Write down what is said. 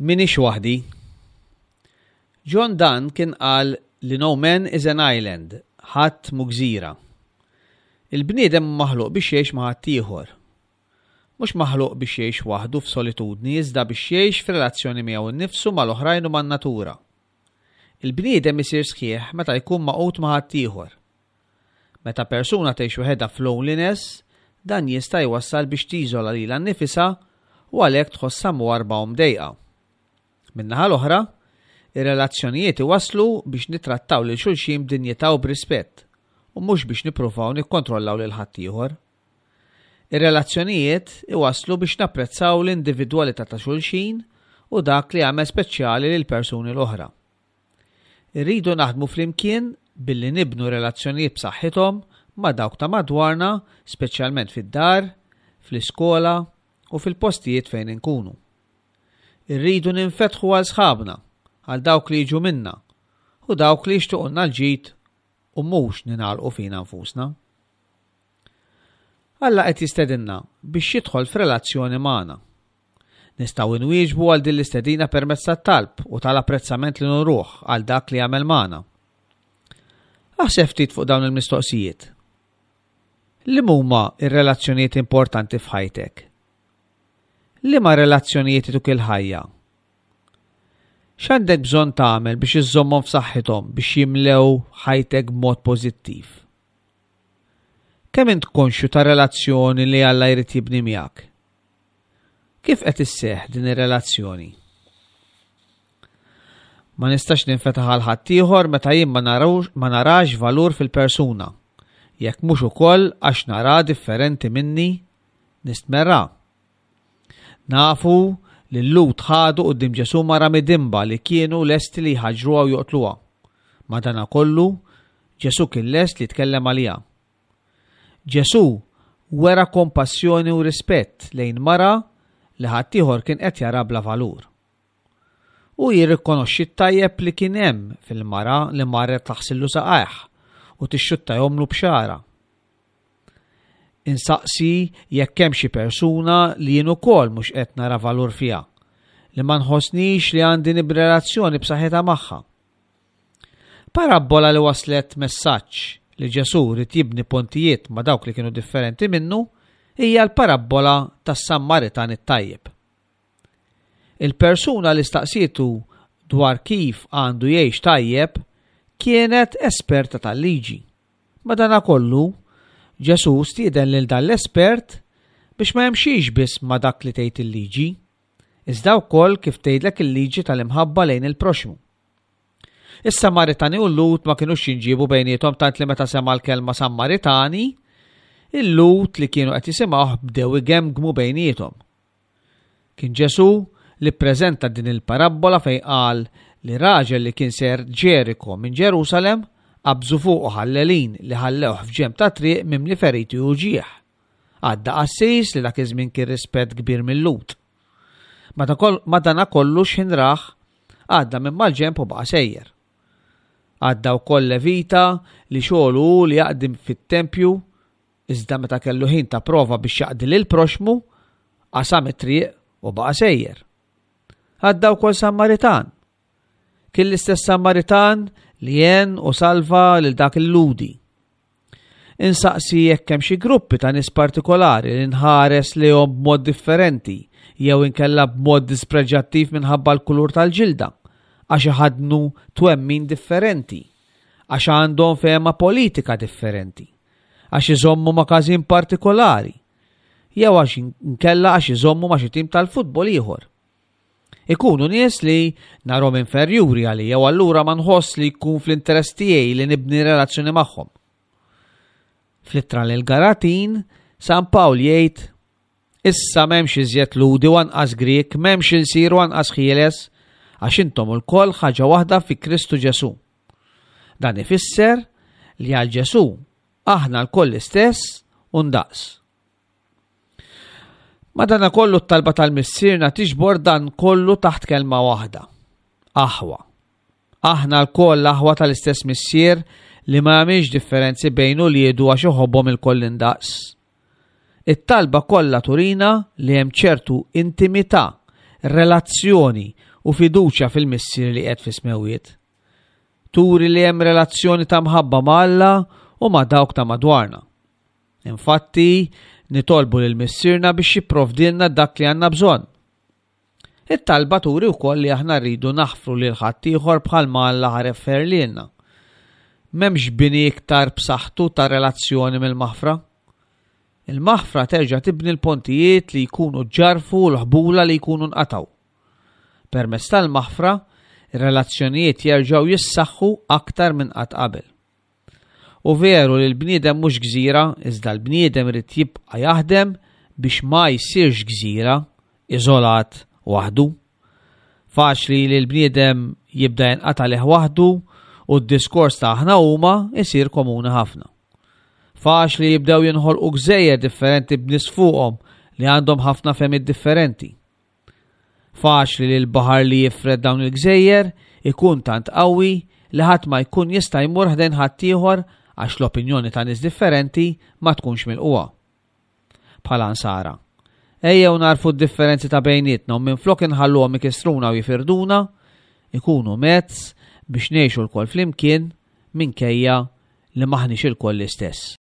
M'iniex waħdi. John Donne kien qal li no man is an island, ħadd mhu gżira. Il-bniedem hu maħluq biex jgħix ma' ħaddieħor. Mhux maħluq biex jgħix waħdu f'solitudni iżda biex jgħix f'relazzjoni miegħu nnifsu, mal-oħrajn u man-natura. Il-bniedem isir sħiħ meta jkun magħqud ma' ħaddieħor. Meta persuna tgħix waħedha f'loneliness, dan jista' jwassal biex tiżola lilha nnifisha u għalhekk tħossha mwarrba u mdejqa. Min-naħa l-oħra, ir-relazzjonijiet iwasslu biex nittrattaw lil xulxin b'dinjità u b'rispett, u mhux biex nippruvaw nikkontrollaw lil ħaddieħor. Ir-relazzjonijiet iwasslu biex napprezzaw l-individwalità ta' xulxin u dak li jagħmel speċjali lill-persuni l-oħra. Irridu naħdmu flimkien billi nibnu relazzjonijiet b'saħħithom ma' dawk ta' madwarna, speċjalment fid-dar, fl-iskola u fil-postijiet fejn inkunu. Irridu ninfetħu għal sħabna, għal dawk li jiġu minna u dawk li jixtuqulna l-ġid u mhux ningħalqu fina nfusna. Alla qed jistedinna biex jidħol f'relazzjoni magħna. Nistgħu nwieġbu għal din l-istedina permezz tat-talb u tal-apprezzament li nuruh għal dak li jagħmel magħna. Aħseb ftit fuq dawn il-mistoqsijiet. Liema huma r-relazzjonijiet importanti f'ħajtek? Liema relazzjonijiet ituk il-ħajja? X'għandek bżonn tagħmel biex iżżommhom f'saħħithom biex jimlew ħajtek b'mod pożittiv? Kemm int konxju tar-relazzjoni li Alla jrid jibni miegħek? Kif qed isseħħ din ir-relazzjoni? Ma nistax ninfetaħ għal ħaddieħor meta jien ma narax valur fil-persuna, jekk mhux ukoll għax nara differenti minni nistmerra. Nafu li l-Lhud ħadu quddiem Ġesù mara midinba li kienu lesti li jħaġġruha u joqtluha. Madanakollu, Ġesù kien lest li jitkellem għaliha. Ġesù wera kompassjoni u rispett lejn mara li ħaddieħor kien qed jara bla valur. Hu jirrikonoxxi t-tajjeb li kien hemm fil-mara li marret taħsillu saqajh u tixxuttajhomlu b'xagħarha. Insaqsi jekk hemm xi persuna li jien ukoll mhux qed nara valur fiha, li ma nħossnix li għandi nibni relazzjoni b'saħħitha magħha. Parabbola li waslet messaġġ li Ġesù ried jibni pontijiet ma' dawk li kienu differenti minnu hija l-parabbola tas-Sammaritan it-tajjeb. Il-persuna li staqsietu dwar kif għandu jgħix tajjeb kienet esperta tal-liġi. Madanakollu, Ġesù stieden lil dan l-espert biex ma jimxix biss ma' dak li tgħid il-liġi, iżda wkoll kif tgħidlek il-liġi tal-imħabba lejn il-proxxmu. Is-Samaritani u l-Lhud ma kinux jinġiebu bejniethom tant li meta sema' l-kelma Sammaritani, il-Lhud li kienu qed jisimgħuh bdew igemgmu bejniethom. Kien Ġesù li ppreżenta din il-parabbola fejn qal li raġel li kien sejjer Ġeriko minn Ġerusalem qabżu fuqu ħallelin li ħallewh f'ġenb ta' triq mimli feriti u uġigħ. Għadda qassis li dak iż-żmien kien rispett kbir mil-Lhud. Madanakollu x'ħin rah, għadda minn mal-ġenb u baqa' sejjer. Għadda wkoll Levita li xogħlu hu li jaqdi fit-tempju Iżda meta kellu ħin ta' prova biex jaqdi lill-proxxmu, qasam it-triq u baqa' sejjer. Għadda wkoll Sammaritan. Kien l-istess Sammaritan li għen u salva lil dak il-Lhudi. Insaqsi jekk hemm xi gruppi ta' nies partikolari li nħares lejhom b'mod differenti jew inkella b'mod dispreġjattiv minħabba l-kulur tal-ġilda, għax iħaddnu twemmin differenti, għax għandhom fehma politika differenti. għax iżommu ma' każin partikolari, jew għax inkella għax iżommu ma' xi tim tal-futbol ieħor. Ikunu nies li narhom inferjuri għalija u allura ma nħoss li jkun fl-interess tiegħi li nibni relazzjoni magħhom. Fl-ittra lil Galatin, San Pawl jgħid Issa m'hemmx iżjed Lhudi u anqas Grieg, m'hemmx ilsir u anqas ħieles, għax intom ilkoll ħaġa waħda fi Kristu Ġesù. Dan ifisser li għal Ġesù aħna lkoll l-istess u ndaqs. Madanakollu t-talba tal-Missierna tiġbor dan kollu taħt kelma waħda. Aħwa. Aħna lkoll aħwa tal-istess Missier li ma jagħmilx differenzi bejn uliedu għax iħobbhom ilkoll indaqs. It-talba kollha turina li hemm ċertu intimità, relazzjoni u fiduċja fil-Missier li qiegħed fis-smewwiet. Turi li hemm relazzjoni ta' mħabba ma' Alla u ma' dawk ta' madwarna. Infatti, nitolbu lil Missierna biex jipprovdilna dak li għandna bżonn. It-talba turi wkoll li aħna rridu naħfru lil ħaddieħor bħalma Alla ħareffer lilna. M'hemmx bini iktar b'saħħtu ta' relazzjoni mill-maħfra. Il-maħfra terġa' tibni l-pontijiet li jkunu ġġarrfu u l-ħbula li jkunu nqatgħu. Permezz tal-maħfra, ir-relazzjonijiet jerġgħu jissaħħu aktar minn qatt qabel. U veru li l-bniedem mhux gżira, iżda l-bniedem irid jibqa' jaħdem biex ma jsirx gżira, iżolat, waħdu. Faċli li l-bniedem jibda jinqata' lih waħdu u d-diskors ta' aħna huma jsir komuni ħafna. Faċli jibdew jinħolqu gżejjer differenti b'nies fuqhom li għandhom ħafna fehmiet differenti. Faċli li l-baħar li jifred dawn il-gżejjer ikun tant qawwi li ħadd ma jkun jista' jmur ħdejn ħaddieħor għax l-opinjoni ta' nies differenti ma tkunx milqugħa. Bħala Nsara, ejjew nagħrfu d-differenzi ta' bejnietna u minflok inħalluhom ikissruna u jifirduna, ikunu mezz biex ngħixu lkoll flimkien minkejja li m'aħniex ilkoll l-istess.